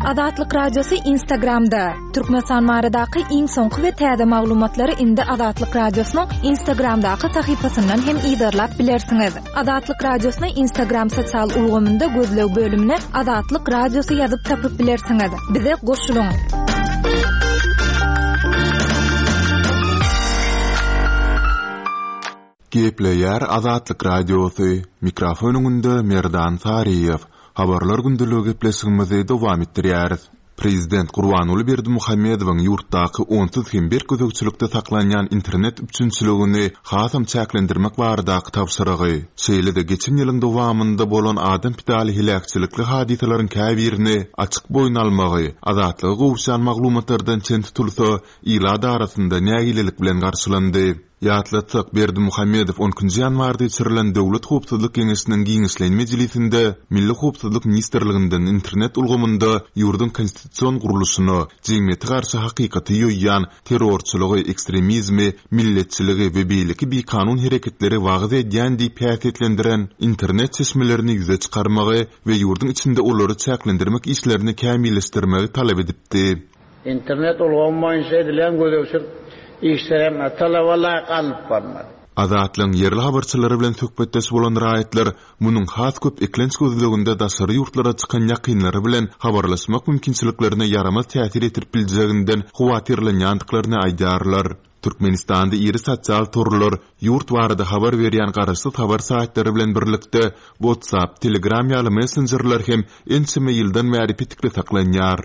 Azatlyk Radiosy Instagramda! Türkmenistan baradaky iň soňky we täze maglumatlary indi Azatlyk Radiosynyň Instagramdaky sahypasyndan hem yzarlap bilersiňiz. Azatlyk Radiosyny Instagram sosial ulgamynda gözleg bölümine Azatlyk Radiosy ýazyp tapyp bilersiňiz. Bize goşulyň! Gepleýär Azatlyk Radiosy, mikrofon öňünde Merdan Saryýew. Habarlar gündeligi gepleşigimizi dowam etdirýäris. Prezident Gurbanguly Berdimuhamedowyň ýurtdaky onsuz hem berk gözegçilikde saklanýan internet üpjünçiligini hasam çäklendirmek baradaky tabşyrygy, şeýle-de geçen ýylyň dowamynda bolan adam pidaly heläkçilikli hadysalaryň käbirini açyk boýun almagy, Azatlyga gowuşýan maglumatlardan çen tutulsa, ilat arasynda nägilelik bilen garşylandy. Ýatlatsak, Berdimuhamedow on ikinji ýanwarda geçirilen Döwlet howpsuzlyk geňeşiniň giňişleýin mejlisinde Milli howpsuzlyk ministrliginden internet ulgamynda ýurduň konstitusion gurluşyna, jemgyýete garşy hakykaty ýoýýan, terrorçylygy, ekstremizmi, milletçiligi we beýleki bikanun hereketleri wagyz edýän diýip häsiýetlendiren internet çeşmelerini ýüze çykarmagy we ýurduň içinde olary çäklendirmek işlerini kämilleşdirmegi talap edipdi. Internet ulgamy boýunça edilýän gözegçilik işleri hem talaba laýyk alnyp barylmady. Azatlygyň ýerli habarçylary bilen söhbetdeş bolan raýatlar munuň has köp eklenç gözleginde daşary ýurtlara çykan ýakynlary bilen habarlaşmak mümkinçiliklerine ýaramaz täsir ýetirip biljeginden howatyrlanýandyklaryny aýdýarlar. Türkmenistanda iri sosial torlar, ýurt barada habar berýän garaşsyz habar saýtlary bilen birlikde WhatsApp, Telegram ýaly messenjerler hem ençeme ýyldan bäri petikli saklanýar.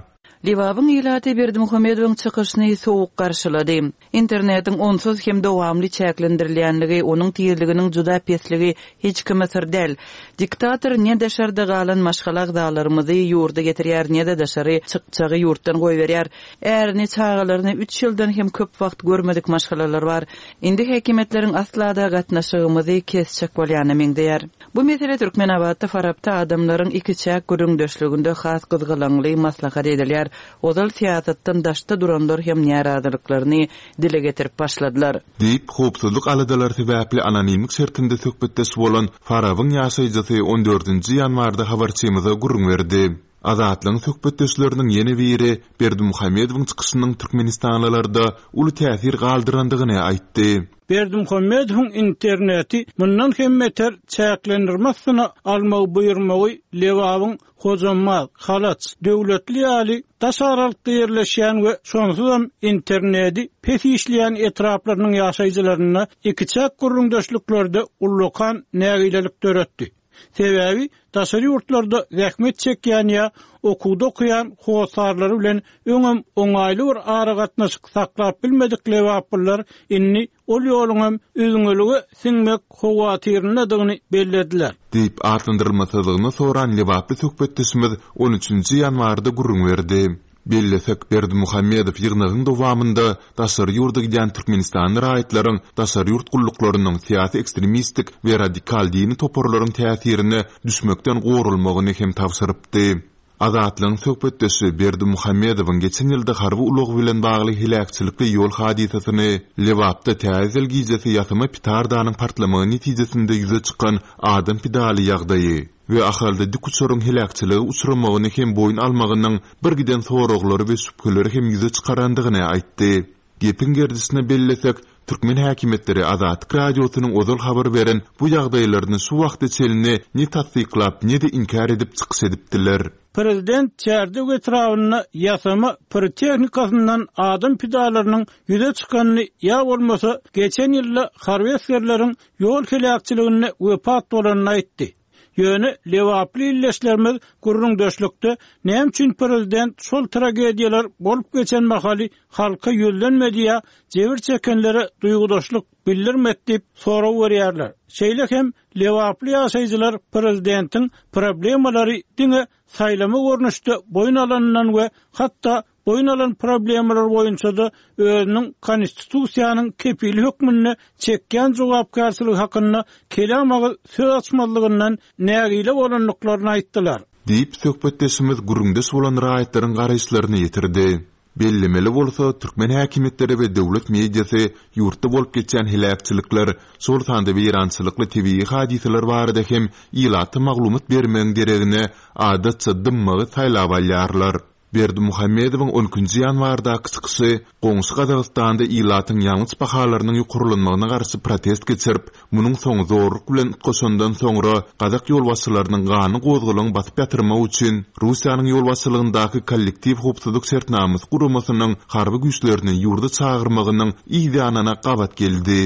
Lebabyň ilaty Berdimuhamedowyň çykyşyny sowuk garşylady. Internetiň onsuz hem dowamly çäklendirilýänligi, onuň tizliginiň juda pesligi hiç kime syr däl. Diktator ne daşarda galan maşgala agzalarymyzy ýurda getirýär, ne-de daşary çykjagy ýurtdan goýberýär. Ärini, çagalaryny üç ýyldan hem köp wagt görmedik maşgalalar bar. Indi häkimiýetleriň asla-da gatnaşygymyzy kesjek bolýana meňzeýär. Bu mesele Türkmenabatda, Farapda adamlaryň ikiçäk gürrüňdeşliginde has gyzgalaňly maslahat edilýär. Ozal syýasatdan daşda duranlar hem närazylyklaryny dile getirip başladylar. Diýip, howpsuzlyk aladalary sebäpli anonimlik şertinde söhbetdeş bolan Farabyň ýaşaýjysy on dördünji ýanwarda habarçymyza gürrüň berdi. Azatlygyň söhbetdeşleriniň ýene biri Berdimuhamedowyň çykyşynyň türkmenistanlylarda uly täsir galdyrandygyny aýtdy. Berdimuhamedowyň interneti mundan hem beter çäklendirme astyna almagy buýurmagy Lebabyň Hojambaz, Halaç, Döwletli ýaly daş aralykda ýerleşýän we şonsuzam internedi pes işleýän etraplarynyň ýaşaýjylarynda ikiçäk gürrüňdeşliklerde ullakan nägilelik döretdi. Sebäbi daşary ýurtlarda zähmet çekýän ýa okuwda okaýan hossarlary bilen öňem oňaýly bir aragatnaşyk saklap bilmedik lebaplylar indi ol ýoluňam üzňelige siňmek howatyryndadygyny bellediler. Diýip, atlandyrylmasyzlygyny soran lebaply söhbetdeşimiz on üçünji ýanwarda gürrüň berdi. Bellesek, Berdimuhamedow ýygnagyň dowamynda daşary ýurda gidýän türkmenistanly raýatlaryň daşary ýurt gulluklarynyň, syýasy ekstremistik we radikal dini toparlaryň täsirine düşmekden goralmagyny hem tabşyrypdy. Azatlygyň söhbetdeşi Berdimuhamedowyň geçen ýylda harby ulag bilen bagly heläkçilikli ýol hadysasyny, Lebapda Täze ýyl gijesi ýasama pitardanyň partlamagy netijesinde ýüze çykan adam pidaly ýagdaýy, we Ahalda dikuçaryň heläkçilige uçramagyny hem boýun almagynyň birgiden soraglary we şübheleri hem ýüze çykarandygyny aýtdy. Gepiň gerdişine bellesek, türkmen häkimiýetleri Azatlyk Radiosynyň ozal habar beren bu ýagdaýlaryny şu wagta çenli ne tassyklap, ne-de inkär edip çykyş edipdiler. Prezident Çärjew etrabynda ýasama pirotehnikasyndan adam pidalarynyň ýüze çykanyny ýa bolmasa geçen ýylda harby esgerleriň ýol heläkçiliginde wepat bolanyny aýtdy. Ýöne lebaply ildeşlerimiz gürrüňdeşlikde näme üçin prezident şol tragediýalar bolup geçen mahaly halka ýüzlenmedi ýa jebir çekenlere duýgudaşlyk bildirmedi diýip sorag berýärler. Şeýle hem lebaply ýaşaýjylar prezidentiň problemalary diňe saýlama görnüşde boýun alanyndan we hatda boýun alan problemalar boýunça-da özüniň Konstitusiýanyň kepili hökmünde çekýän jogapkärçiligi hakynda kelam agyz söz açmazlygyndan nägile bolandyklaryny aýtdylar. Diýip, söhbetdeşimiz gürrüňdeş bolan raýatlaryň garaýyşlaryny ýetirdi. Bellemeli bolsa, türkmen häkimiýetleri we döwlet mediasy ýurtda bolup geçýän heläkçilikler, şol sanda weýrançylykly tebigy hadysalar barada hem ilata maglumat bermegiň deregine, adatça dymmagy saýlap alýarlar. Berdimuhamedowyň on ikinji ýanwardaky çykyşy goňşy Gazagystanda ilatyň ýangyç bahalarynyň ýokarlanmagyna garşy protest geçirip, munuň soňy zorluk bilen utgaşandan soňra gazak ýolbaşçylarynyň ganly gozgalaňy basyp ýatyrmak üçin Russiýanyň ýolbaşçylygyndaky Kollektiw howpsuzlyk şertnamasy guramasynyň harby güýçlerini ýurda çagyrmagynyň yz ýanyna gabat geldi.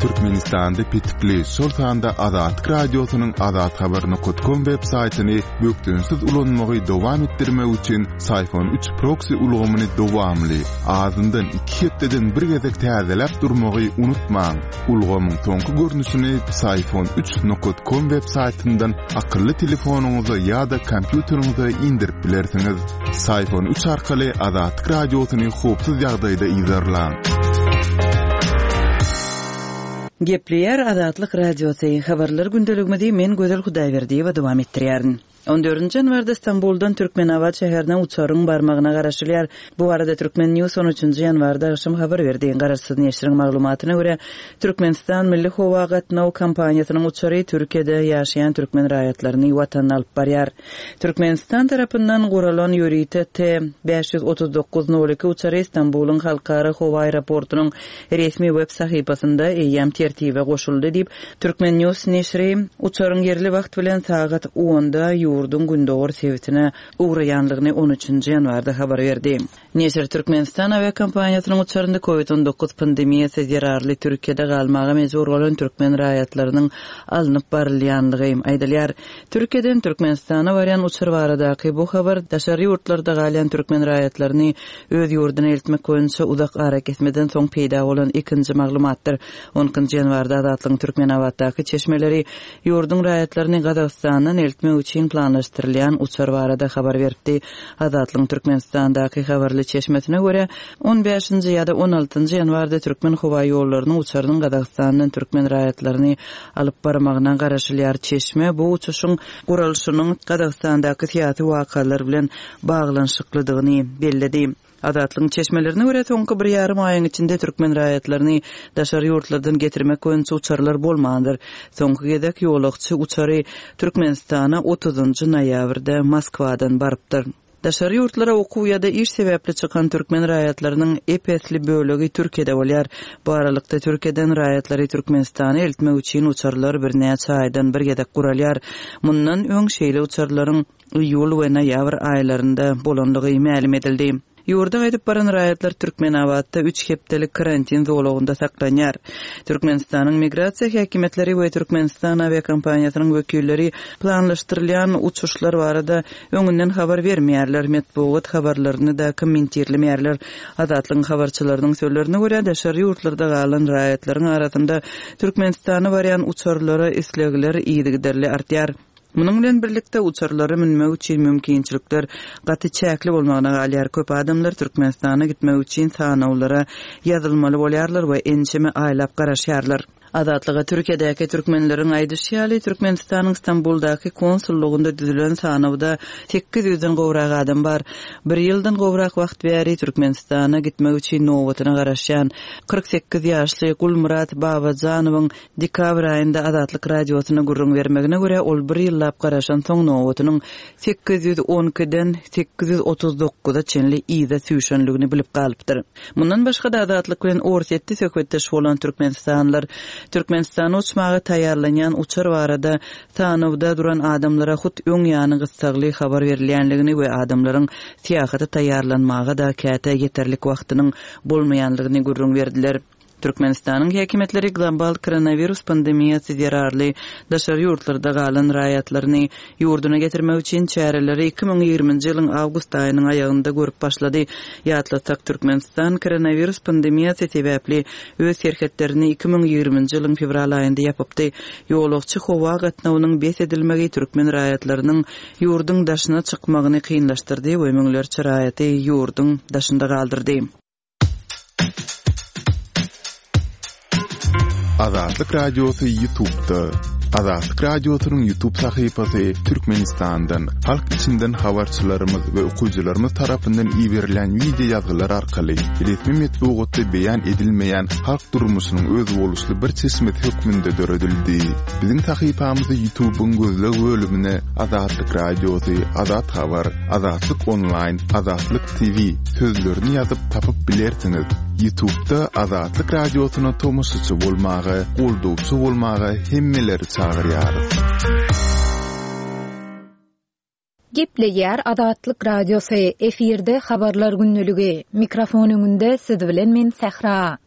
Türkmenistanda petikli, şol sanda Azatlyk Radiosynyň azathabar nokat kom web saýtyny bökdençsiz ulanmagy dowam etdirmek üçin Syfon üç proksi ulgamyny dowamly, azyndan iki hepdeden bir gezek täzeläp durmagy unutmaň. Ulgamyň soňky görnüşini Syfon üç nokat kom web saýtyndan akylly telefonyňyza ýa-da kompýuteriňize indirip bilersiňiz. Syfon üç arkaly Azatlyk Radiosyny howpsuz ýagdaýda yzarlaň. Gepleýär Azatlyk Radiosy, Habarlar gündeligimizi men Gözel Hudaýberdiýewa dowam etdirýärin. On dördünji ýanwarda Stambuldan Türkmenabat şäherine uçaryň barmagyna garaşylýar. Bu barada Turkmen News on üçünji ýanwarda agşam habar berdi. Garaşsyz neşiriň maglumatyna görä, Türkmenistan milli howa gatnaw kompaniýasynyň uçary Türkiýede ýaşaýan türkmen raýatlaryny Watanyna alyp barýar. Türkmenistan tarapyndan guralan ýörite T, 539 nol iki uçary Stambulyň halkara howa aeroportunyň resmi web sahypasynda eýýäm tertibe goşuldy diýip, Turkmen News neşiri uçaryň ýerli wagt bilen sagat onda ýurduň gündogar sebitine ugraýanlygyny on üçünji ýanwarda habar berdi. Neşir Türkmenistan awiakompaniýasynyň uçarynda Covid 19 pandemiýasy zerarly Türkiýede galmaga mejbur bolan türkmen raýatlarynyň alnyp barylýanlygy aýdylýar. Türkiýeden Türkmenistana barýan uçar baradaky bu habar daşary ýurtlarda galýan türkmen raýatlaryny öz ýurduna eltmek boýunça uzak arakesmeden soň peýda bolan ikinji maglumatdyr. On ikinji ýanwarda Azatlygyň Türkmenabatdaky çeşmeleri Ýurduň raýatlaryny Gazagystandan eltmek üçin planlaşdyrylýan uçar barada habar beripdi. Azatlygyň Türkmenistandaky habarly çeşmesine görä, on bäşinji ýa-da on altynjy ýanwarda Türkmenhowaýollarynyň uçarynyň Gazagystandan türkmen raýatlaryny alyp barmagyna garaşylýar. Çeşme bu uçuşyň guralyşynyň Gazagystandaky syýasy wakalar bilen baglanyşyklydygyny belledi. Azatlygyň çeşmelerine görä, soňky bir ýarym aýyň içinde türkmen raýatlaryny daşary ýurtlardan getirmek boýunça uçarlar bolmandyr. Soňky gezek ýolagçy uçary Türkmenistana otuzynjy noýabrda Moskwadan barypdyr. Daşary ýurtlara okuw ýa-da iş sebäpli çykan türkmen raýatlarynyň ep-esli bölegi Türkiýede bolýar. Bu aralykda, Türkiýeden raýatlary Türkmenistana eltmek üçin uçarlar birnäçe aýdan bir gezek guralýar. Mundan öň şeýle uçarlaryň iýul we noýabr aýlarynda bolandygy mälim edildi. Ýurda gaýdyp baran raýatlar Türkmenabatda üç hepdelik karantin zolagynda saklanýar. Türkmenistanyň migrasiýa häkimiýetleri we Türkmenistan awiakompaniýasynyň wekilleri planlaşdyrylýan uçuşlar barada öňünden habar bermeýärler, metbugat habarlaryny-da kommentirlemeýärler. Azatlygyň habarçylarynyň sözlerine görä, daşary ýurtlarda galan raýatlaryň arasynda Türkmenistana barýan uçarlara islegler yzygiderli artýar. Munuň bilen birlikde, uçarlara münmek üçin mümkinçilikler gaty çäkli bolmagyna galýar. Köp adamlar Türkmenistana gitmek üçin sanawlara ýazylmaly bolýarlar we ençeme aýlap garaşýarlar. Azatlyga Türkiýedäki türkmenleriň aýdyşy ýaly, Türkmenistanyň Stambuldaky konsullygynda düzülen sanawda 800-den gowrak adam bar. Bir ýyldan gowrak wagt bäri Türkmenistana gitmek üçin nobatyna garaşýan 48 ýaşly Gulmyrat Babajanowyň Dekabr aýynda Azatlyk Radiosyna gürrüň bermegine görä, ol bir ýyllap garaşansoň nobatynyň 812-den 839-a çenli yza süýşenligini bilip galypdyr. Mundan başga-da Azatlyk bilen Orsýetde söhbetdeş bolan türkmenistanlylar Türkmenistana uçmaga taýýarlanýan uçar barada sanawda duran adamlara hut öň ýany gyssagly habar berilýänligini we adamlaryň syýahata taýýarlanmaga-da käte ýeterlik wagtynyň bolmaýanlygyny gürrüň berdiler. Türkmenistanyň häkimiýetleri global koronawirus pandemiýasy zerarly daşary ýurtlarda galan raýatlaryny ýurduna getirmek üçin çäreleri 2020-nji ýylyň awgust aýynyň aýagynda görüp başlady. Ýatlatsak, Türkmenistan koronawirus pandemiýasy sebäpli öz serhetlerini 2020-nji ýylyň fewral aýynda ýapypdy. Ýolagçy howa gatnawynyň bes edilmegi türkmen raýatlarynyň ýurduň daşyna çykmagyny kynlaşdyrdy we müňlerçe raýaty ýurduň daşynda galdyrdy. Azatlyk Radiosy YouTube'da. Azatlyk Radiosynyň YouTube sahypasy Türkmenistandan, halk içinden habarçylarymyz we okyjylarymyz tarapyndan iberilýän wideo ýazgylar arkaly resmi metbugatda beýan edilmeýän halk durmuşynyň özboluşly bir çeşmesi hökmünde döredildi. Biziň sahypamyzy YouTube-yň gözleg bölümine Azatlyk Radiosy, Azat Habar, Azatlyk Onlaýn, Azatlyk TV sözlerini ýazyp tapyp bilersiňiz. Ýutubda Azatlyk Radiosyna tomaşaçy bolmaga, goldawçy bolmaga hemmeleri çagyrýarys. Gepleýär Azatlyk Radiosy, efirde Habarlar gündeligi. Mikrofon öňünde siz bilen men Sähra.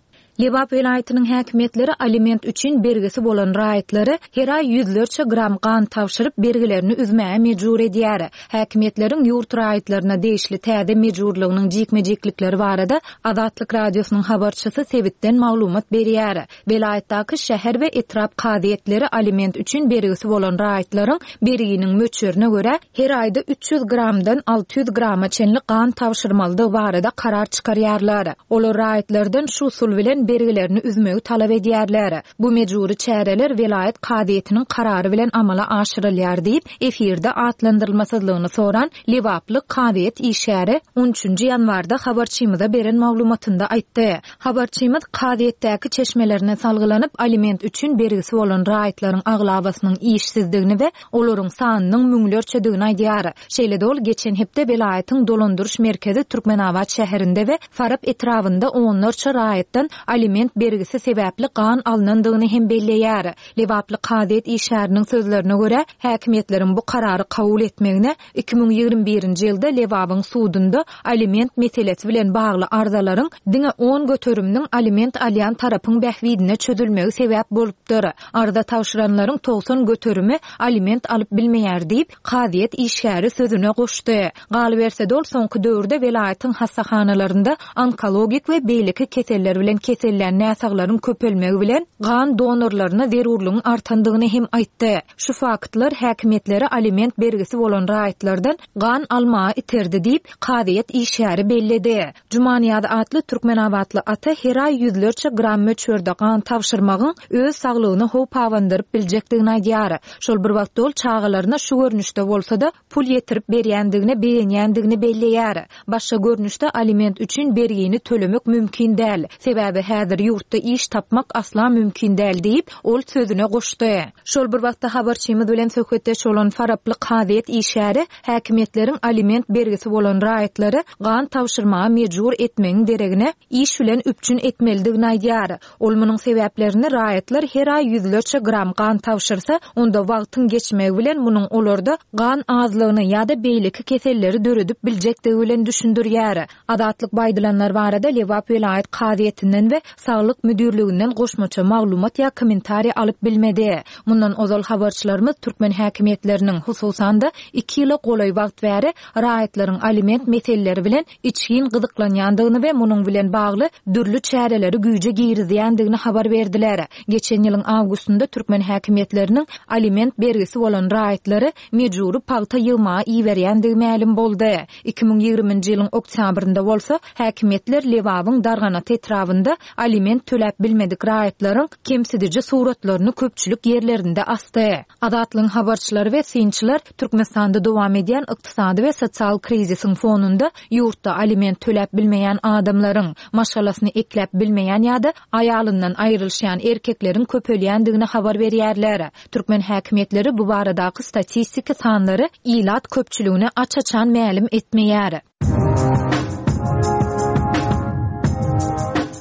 Lebap welaýatynyň häkimiýetleri aliment üçin bergisi bolan raýatlary her aý ýüzlerçe gram gan tabşyryp, bergilerini üzmäge mejbur edýär. Häkimiýetleriň ýurt raýatlaryna degişli täze mejburlygynyň jikme-jiklikleri barada Azatlyk Radiosynyň habarçysy sebitden maglumat berýär. Welaýatdaky şäher we etrap kazyýetleri aliment üçin bergisi bolan raýatlaryň berginiň möçberine görä, her aýda 300 gramdan 600 grama çenli gan tabşyrmalydygy barada karar çykarýarlar. Olar raýatlardan şu usul bilen bergilerini üzmegi talap edýärler. Bu mejbury çäreler welaýat kazyýetiniň karary bilen amala aşyrylýar diýip, efirde atlandyrylmasyzlygyny soran lebaply kazyýet işgäri on üçünji ýanwarda habarçymyza beren maglumatynda aýtdy. Habarçymyz kazyýetdäki çeşmelerine salgylanyp, aliment üçin bergisi bolan raýatlaryň aglabasynyň işsizdigini we olaryň sanynyň müňlerçedigini aýdýar. Şeýle-de ol geçen hepde welaýatyň dolandyryş merkezi Türkmenabat şäherinde we Farap etrabynda onlarça raýatdan aliment bergisi sebäpli gan alnandygyny hem belleýär. Lebaply kazyýet işgäriniň sözlerine görä, häkimiýetleriň bu karary kabul etmegine 2021-nji ýylda Lebabyň sudunda aliment meselesi bilen bagly arzalaryň diňe on göteriminiň aliment alýan tarapyň bähbidine çözülmegi sebäp bolupdyr. Arza tabşyranlaryň 90 göterimi aliment alyp bilmeýär diýip, kazyýet işgäri sözüne goşdy. Galyberse-de ol soňky döwürde welaýatyň hassahanalarynda onkologik we beýleki keseller bilen kesellän näsaglaryň köpelmegi bilen gan donorlaryna zerurlygyň artandygyny hem aýtdy. Şu faktlar häkimiýetleri aliment bergisi bolan raýatlardan gan almaga iterdi diýip, kazyýet işgäri belledi. Jumanyýaz atly türkmenabatly ata her aý ýüzlerçe gram möçberde gan tabşyrmagyň öz saglygyna howp abandyryp biljekdigini aýdýar. Şol bir wagtda ol çagalaryna şu görnüşde bolsa-da, pul ýetirip berýändigine begenýändigini belleýär. Başga görnüşde aliment üçin bergini tölemek mümkin däl. Sebäbi häzir ýurtda iş tapmak asla mümkin däl diýip, ol sözüne goşdy. Şol bir wagtda habarçymyz bilen söhbetdeş bolan faraply kazyýet işgäri häkimiýetleriň aliment bergisi bolan raýatlary gan tabşyrmaga mejbur etmegiň deregine iş bilen üpjün etmelidigini aýdýar. Ol munuň sebäplerini raýatlar her aý ýüzlerçe gram gan tabşyrsa, onda wagtyň geçmegi bilen munuň olarda gan azlygyny ýa-da beýleki keselleri döredip biljekdigi bilen düşündirýär. Azatlyk bu aýdylanlar barada Lebap welaýat kazyýetinden we Saglyk müdirliginden goşmaça maglumat ýa kommentariý alyp bilmedi. Mundan ozal habarçylarymyz türkmen häkimiýetleriniň, hususan-da, iki ýyla golaý wagt bäri raýatlaryň aliment meseleleri bilen içgin gyzyklanýandygyny we munuň bilen bagly dürli çäreleri güýje girizýändigini habar berdiler. Geçen ýylyň awgustynda türkmen häkimiýetleriniň aliment bergisi bolan raýatlary mejbury pagta ýygmaga iberýändigi mälim boldy. 2020-nji ýylyň oktýabrynda bolsa häkimiýetler Lebabyň Darganata etrabynda aliment töläp bilmedik raýatlaryň kemsidiji suratlaryny köpçülik ýerlerinde asdy. Azatlygyň habarçylary we synçylar Türkmenistanda dowam edýän ykdysady we sosial krizisiň fonunda ýurtda aliment töläp bilmeýän adamlaryň, maşgalasyny ekläp bilmeýän ýa-da aýalyndan aýrylyşýan erkekleriň köpelýändigini habar berýärler. Türkmen häkimiýetleri bu baradaky statistiki sanlary ilat köpçüligine aç-açan mälim etmeýär.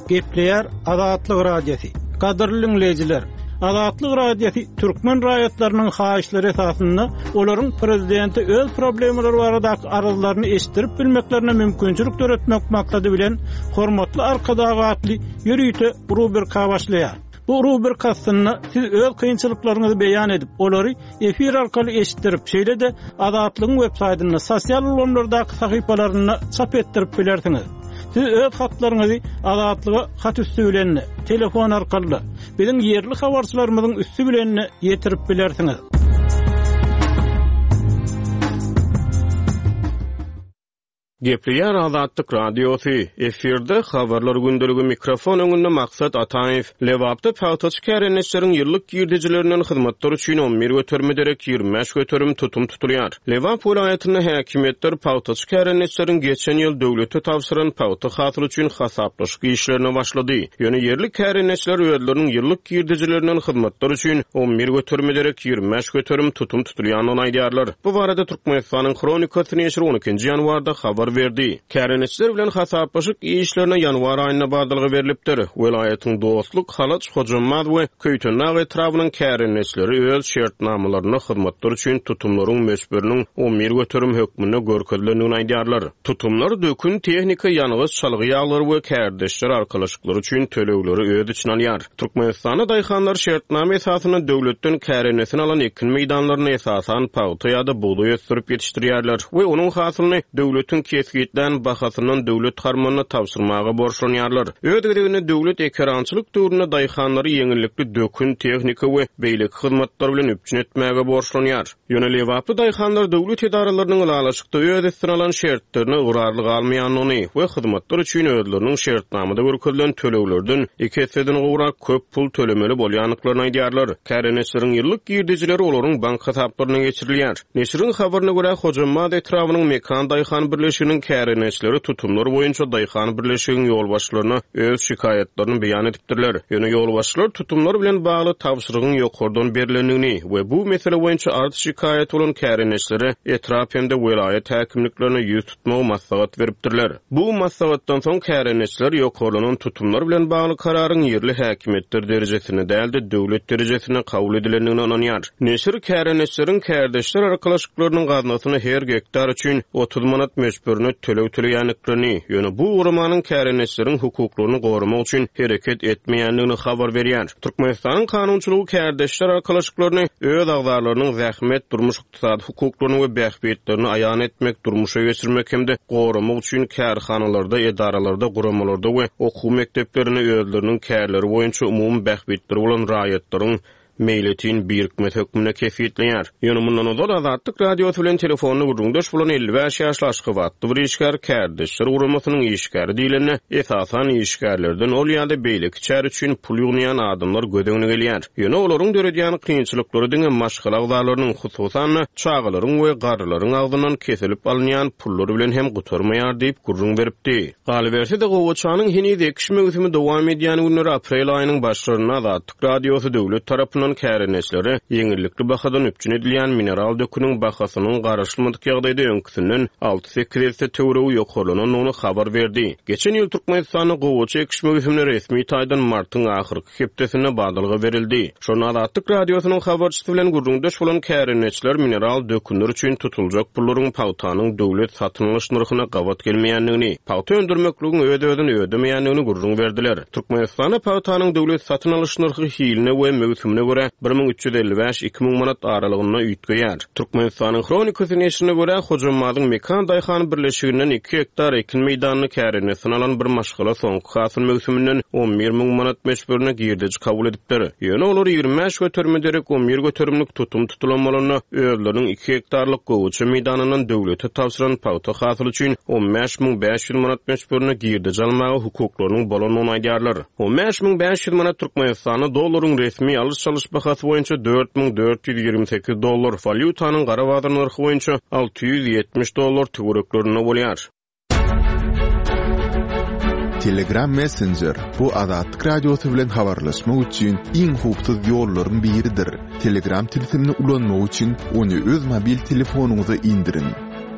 Gepleýär Azatlyk Radiosy. Gadyrly diňleýjiler, Azatlyk Radiosy türkmen raýatlarynyň haýyşlary esasynda olaryň prezidente öz problemalary baradaky arzlaryny eşitdirip bilmeklerine mümkinçilik döretmek maksady bilen Hormatly Arkadag atly ýörite rubrika başlaýar. Bu rubrika astynda siz öz kynçylyklaryňyzy beýan edip, olary efir arkaly eşitdirip, şeýle-de Azatlygyň web saýtynda, sosial ulgamlardaky sahypalarynda çap etdirip bilersiňiz. Siz öz hatlaryňyzy Azatlyga hat üsti bilen-de, telefon arkaly-da, biziň ýerli habarçylarymyzyň üsti bilen-de ýetirip bilersiňiz. Gepleýär Azatlyk Radiosy, efirde Habarlar gündeligi mikrofon öňünde Maksat Ataýew. Lebapda pagtaçy kärendeçileriň ýyllyk girdejilerinden hyzmatlar üçin on bir göterime derek 25% tutum tutulýar. Lebap welaýatynda häkimiýetler pagtaçy kärendeçileriň geçen ýyl döwlete tabşyran pagta hasyly üçin hasaplaşyk işlerine başlady. Ýöne ýerli kärendeçiler özleriniň ýyllyk girdejilerinden hyzmatlar üçin on bir göterime derek 25% tutum tutulýandygyny aýdýarlar. Bu barada Türkmenistanyň Hronikasy neşiri on ikinji ýanwarda habar berdi. Kärendeçiler bilen hasaplaşyk işlerine ýanwar aýynda badalga berlipdir. Welaýatyň Dostluk, Halaç, Hojambaz we Köýtendag etrabynyň kärendeçileri öz şertnamalarynda hyzmatlar üçin tutumlaryň möçberiniň 11% hökmünde görkezilendigini aýdýarlar. Tutumlar dökün, tehnika, ýangyç, çalgy ýaglary we kärdeşler arkalaşyklary üçin tölegleri öz içine alýar. Türkmenistanda daýhanlar şertnama esasynda döwletden kärendesin alan ekin meýdanlarynda esasan pagta ýa-da bugdaý ösdürip ýetişdirýärler we onuň hasylyny döwletiň kesgitlän bahasyndan döwlet harmanyna tabşyrmaga borçlanýarlar. Öz gezeginde döwlet ekerançylyk döwründe daýhanlary ýeňillikli dökün, tehnika we beýleki hyzmatlar bilen üpjün etmäge borçlanýar. Ýöne lebaply daýhanlar döwlet edaralarynyň ylalaşykda öz üstüne alan şertlerine ygrarly galmaýandygyny we hyzmatlar üçin özleriniň şertnamada görkezilen töleglerden iki esseden gowrak köp pul tölemeli bolýandyklaryny aýdýarlar. Kärendeçileriň ýyllyk girdejileri olaryň bank hasaplaryna geçirilýär. Neşiriň habaryna görä, Hojambaz etrabynyň Mekan daýhan birleşiginiň kärendeçileri tutumlar boýunça daýhan birleşigiň ýolbaşçylaryna öz şikaýatlaryny beýan edipdirler. Ýöne ýolbaşçylar tutumlar bilen bagly tabşyrygyň ýokardan berlendigini we bu mesele boýunça arz-şikaýaty bolan kärendeçilere etrap hem-de welaýat häkimliklerine ýüz tutmagy maslahat beripdirler. Bu maslahatdan soň kärendeçiler ýokarlanan tutumlar bilen bagly kararyň ýerli häkimiýetler derejesinde däl-de, döwlet derejesinde kabul edilendigine ynanýar. Neşir kärendeçileriň kärdeşler arkalaşyklarynyň gaznasyna her gektar üçin 30 manat möçberinde töleg töleýändiklerini, ýöne bu guramanyň kärendeçileriň hukuklaryny goramak üçin hereket etmeýändigini habar berýär. Türkmenistanyň kanunçylygy kärdeşler arkalaşyklaryny öz agzalarynyň zähmet, durmuş-ykdysady hukuklaryny we bähbitlerini aýan etmek, durmuşa geçirmek hem-de goramak üçin kärhanalarda, edaralarda, guramalarda we okuw mekdeplerinde özleriniň kärleri boýunça umumy bähbitleri bolan raýatlaryň meýletin birikmesi hökmünde kesgitleýär. Ýöne mundan ozal Azatlyk Radiosy bilen telefonda gürrüňdeş bolan 55 ýaşly aşgabatly bir işgär kärdeşler guramasynyň işgäri diýlende, esasan işgärlerden ol ýa-da beýleki çäre üçin pul ýygnaýan adamlar göz öňüne gelýär. Ýöne olaryň döredýän kynçylyklary diňe maşgala agzalarynyň, hususan-da, çagalaryň we garrylaryň agzyndan kesilip alynýan pullar bilen hem gutarmaýar diýip gürrüň beripdi. Galyberse-de, gowaçanyň heniz ekiş möwsümi dowam edýän günleri aprel aýynyň başlarynda Azatlyk Radiosy döwlet tarapyndan kärendeçilere ýeňillikli bahadan üpjün edilýän mineral döküniň bahasynyň garaşylmadyk ýagdaýda öňküsinden alty-sekiz esse töweregi ýokarlanandygyny habar berdi. Geçen ýyl Türkmenistanda gowaça ekiş möwsümine resmi taýdan martyň ahyrky hepdesinde badalga berildi. Şonda Azatlyk Radiosynyň habarçysy bilen gürrüňdeş bolan kärendeçiler mineral dökünler üçin tutuljak pullaryň pagtanyň döwlet satyn alyş nyrhyna gabat gelmeýändigini, pagta öndürmekligiň öz-özüni ödemeýändigini gürrüň berdiler. Türkmenistanda pagtanyň döwlet satyn alyş nyrhy hiline we möwsümine görä 1355, 2000 manat aralygynda üýtgeýär. Türkmenistanyň Hronikasy neşirine görä, Hojammazyň Mekan daýhan birleşiginden iki gektar ekin meýdanyny kärendesine alan bir maşgala soňky hasyl möwsüminden 11 müň manat möçberinde girdeji kabul edipdir. Ýöne olar 25 göterime derek 11 göterimlik tutum tutulan bolanda, özleriniň iki gektarlyk gowaça meýdanyndan döwlete tabşyran pagta hasyly üçin 15 500 manat möçberinde girdeji almaga hukuklarynyň bolandygyny aýdýarlar. 15 500 manat Türkmenistanda dollaryň resmi alyş-çalyş bahasy boýunça 4428 dollar, walýutanyň gara bazar nyrhy boýunça 670 dollar töwereklerinde bolýar. Telegram Messenger, bu Azatlyk Radiosy bilen habarlaşmak üçin iň howpsuz ýollaryň biridir. Telegram tilsimini ulanmak üçin ony öz mobil telefonyňyza indiriň.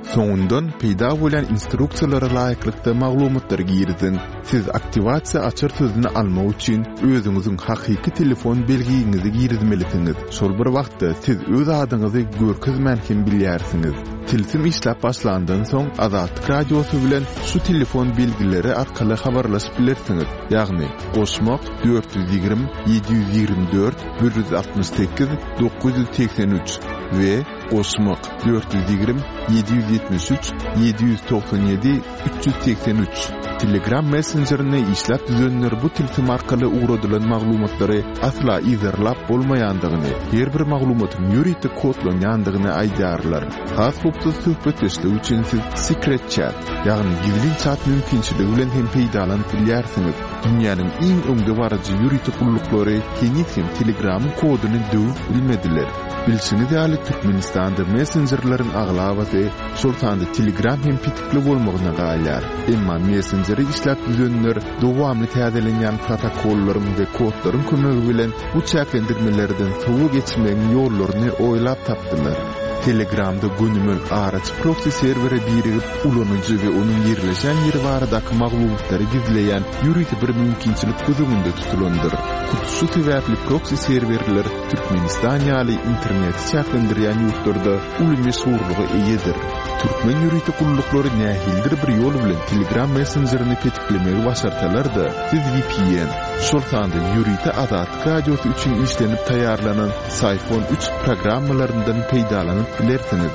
Soňundan peýda bolýan instruksiýalara laýyklykda maglumatlary giriziň. Siz aktiwasiýa açar sözüni almak üçin özüňiziň hakyky telefon belgiňizi girizmelisiňiz. Şol bir wagtda siz öz adyňyzy görkezmän hem bilýärsiňiz. Tilsim işläp başlandan soň Azatlyk Radiosy bilen şu telefon belgileri arkaly habarlaşyp bilersiňiz, ýagny, goşmak, 420 724 168 983 we. Goşmak, 420 773 797 383. Telegram messenjerini işläp düzenler bu tilsim arkaly ugradylan maglumatlary asla yzarlap bolmaýandygyny, her bir maglumatyň ýörite kodlanýandygyny aýdýarlar. Has howpsuz söhbetdeşlik üçin siz Secret Chat, ýagny gizlin çat mümkinçiligi bilen hem peýdalanyp bilýärsiňiz. Dünýäniň iň öňdebaryjy ýörite gulluklary heniz hem Telegramyň koduny döwüp bilmediler. Bilşiňiz ýaly, Türkmenistanda messenjerleriň aglabasy, şol sanda Telegram hem petikli bolmagyna galýar. Emma messenjeri işläp düzenler dowamly täzelenýän protokollaryň we kodlaryň kömegi bilen bu çäklendirmelerden sowa geçmegiň ýollaryny oýlap tapdylar. Telegramda gönümel araçy proksi serwere birigip, ulanyjy we onuň ýerleşen ýeri baradaky maglumatlary gizleýän ýörite bir mümkinçilik göz öňünde tutulandyr. Hut şu sebäpli proksi serwerler Türkmenistan ýaly interneti çäklendirýän ýurtlarda uly meşhurlyga eýedir. Türkmen ýörite gulluklary nähilidir bir ýol bilen Telegram messenjerini petiklemegi başarsalar-da, siz vpn, şol sanda ýörite Azatlyk Radiosy üçin işlenip taýýarlanan Syphon üç programmalaryndan peýdalanyp bilersiňiz.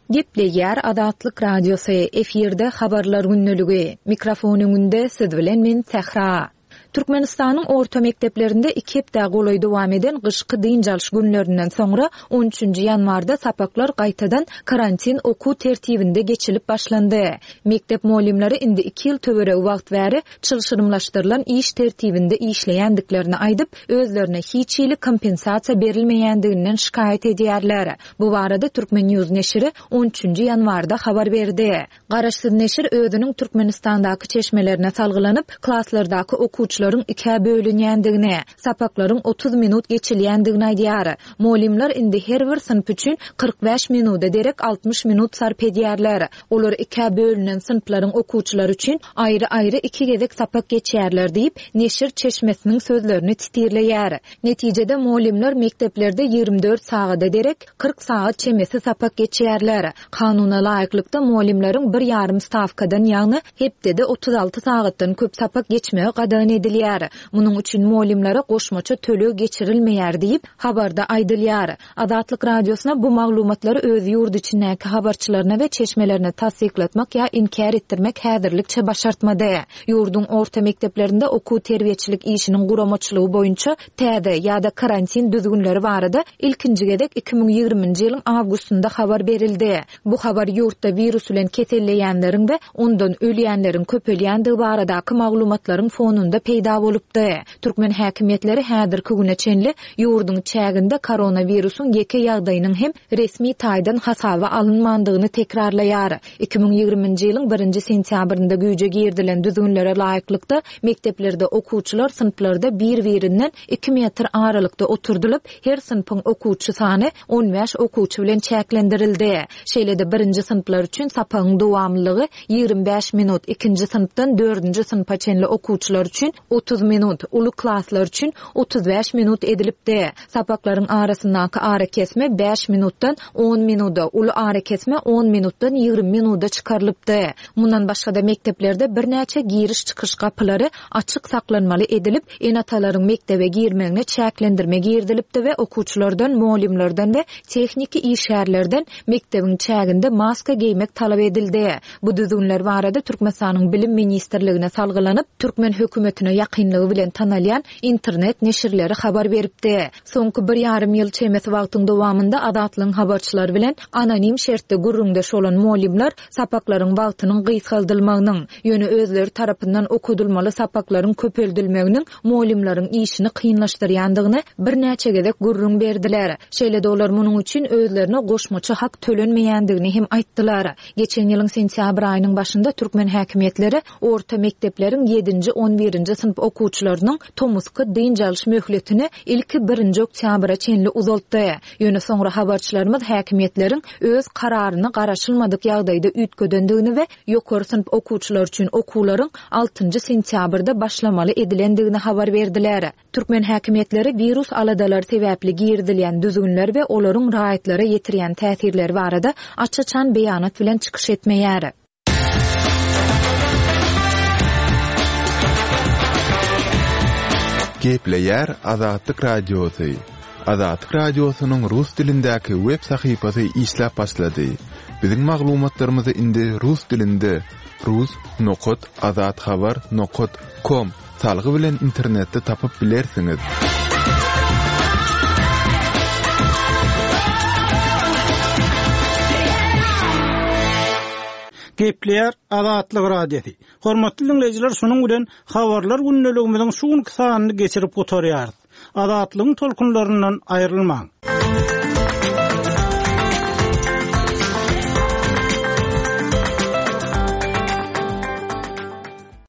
Gepleýär Azatlyk Radiosy, efirde Habarlar gündeligi. Mikrofon öňünde siz bilen men Sähra. Türkmenistanyň orta mekdeplerinde iki hepdä golaý dowam eden gyşky dynç alyş günlerinden soňra on üçünji ýanwarda sapaklar gaýtadan karantin okuw tertibinde geçilip başlandy. Mekdep mugallymlary indi iki ýyl töweregi wagt bäri çylşyrymlaşdyrylan iş tertibinde işleýändiklerini aýdyp, özlerine hiç hili kompensasiýa berilmeýändiginden şikaýat edýärler. Bu barada Turkmen. News neşiri on üçünji ýanwarda habar berdi. Garaşsyz neşir özüniň Türkmenistandaky çeşmelerine salgylanyp, klaslardaky okuwçylaryň ikä bölünýändigini, sapaklaryň 30 minut geçilýändigini aýdýar. Mugallymlar indi her bir synp üçin 45 minuda derek 60 minut sarp edýärler. Olar ikä bölünen synplaryň okuwçylary üçin aýry-aýry iki gezek sapak geçýärler diýip, neşir çeşmesiniň sözlerini titirleýär. Netijede, mugallymlar mekdeplerde 24 sagada derek 40 sagat çemesi sapak geçýärler. Kanuna laýyklykda, mugallymlaryň bir ýarym stawkadan, ýagny hepdede 36 sagatdan köp sapak geçmegi gadagan edilýär. Munuň üçin mugallymlara goşmaça töleg geçirilmeýär diýip, habarda aýdylýar. Azatlyk Radiosyna bu maglumatlary öz ýurt içindäki habarçylaryna we çeşmelerine tassyklatmak ýa inkär etdirmek häzirlikçe başartmady. Ýurduň orta mekdeplerinde okuw-terbiýeçilik işiniň guramaçylygy boýunça täze ýa-da karantin düzgünleri barada ilkinji gezek 2020-nji ýylyň awgustynda habar berildi. Bu habar ýurtda wirus bilen keselleýänleriň we ondan ölýänleriň köpelýändigi baradaky maglumatlaryň fonunda peýda bolupdy. Türkmen häkimiýetleri häzirki güne çenli ýurduň çäginde koronawirusyň ýeke ýagdaýynyň hem resmi taýdan hasaba alynmandygyny tekrarlaýar. 2020-nji ýylyň birinji sentýabrynda güýje girizilen düzgünlere laýyklykda, mekdeplerde okuwçylar synplarda bir-birinden iki metr aralykda oturdylyp, her synpyň okuwçy sany 15 okuwçy bilen çäklendirildi. Şeýle-de birinji synplar üçin sapagyň dowamlylygy 25 minut, ikinji synpdan dördünji synpa çenli okuwçylar üçin 30 minut, uly klaslar üçin 35 minut edilipdi. Sapaklaryň arasyndaky arakesme bäş minutdan on minuda, uly arakesme on minutdan 20 minuda çykarylypdy. Mundan başga-da mekdeplerde birnäçe giriş-çykyş gapylary açyk saklanmaly edilip, ene-atalaryň mekdebe girmegine çäklendirme girizilipdi we okuwçylardan, mugallymlardan we tehniki işgärlerden mekdebiň çäginde maska geýmek talap edildi. Bu düzgünler barada Türkmenistanyň Bilim ministrligine salgylanyp, türkmen hökümetine ýakynlygy bilen tanalýan internet neşirleri habar beripdi. Soňky bir ýarym ýyl çemesi wagtyň dowamynda Azatlygyň habarçylary bilen anonim şertde gürrüňdeş bolan mugallymlar sapaklaryň wagtynyň gysgaldylmagynyň, ýöne özleri tarapyndan okadylmaly sapaklaryň köpeldilmeginiň mugallymlaryň işini kynlaşdyrýandygyny birnäçe gezek gürrüň berdiler. Şeýle-de olar munuň üçin özlerine goşmaça hak tölenmeýändigini hem aýtdylar. Geçen ýylyň sentýabr aýynyň başynda türkmen häkimiýetleri orta mekdepleriň ýedinji, on birinji synp okuwçylarynyň tomusky dynç alyş möhletini ilki birinji oktýabra çenli uzaltdy. Ýöne soňra habarçylarymyz häkimiýetleriň öz kararyny garaşylmadyk ýagdaýda üýtgedendigini we ýokary synp okuwçylary üçin okuwlaryň altynjy sentýabrda başlamaly edilendigini habar berdiler. Türkmen häkimiýetleri wirus aladalary sebäpli girizilýän düzgünler we olaryň raýatlara ýetirýän täsirleri barada aç-açan beýanat bilen çykyş etmeýär. Gepleýär Azatlyk Radiosy. Azatlyk Radiosynyň rus dilindäki web sahypasy işläp başlady. Biziň maglumatlarymyzy indi rus dilinde rus nokat azathabar nokat kom salgy bilen internetde tapyp bilersiňiz. Gepleýär Azatlyk Radiosy. Hormatly diňleýjiler, şunuň bilen Habarlar gündeligimiziň şu günki sanyny geçirip gutarýarys. Azatlygyň tolkunlaryndan aýrylmaň!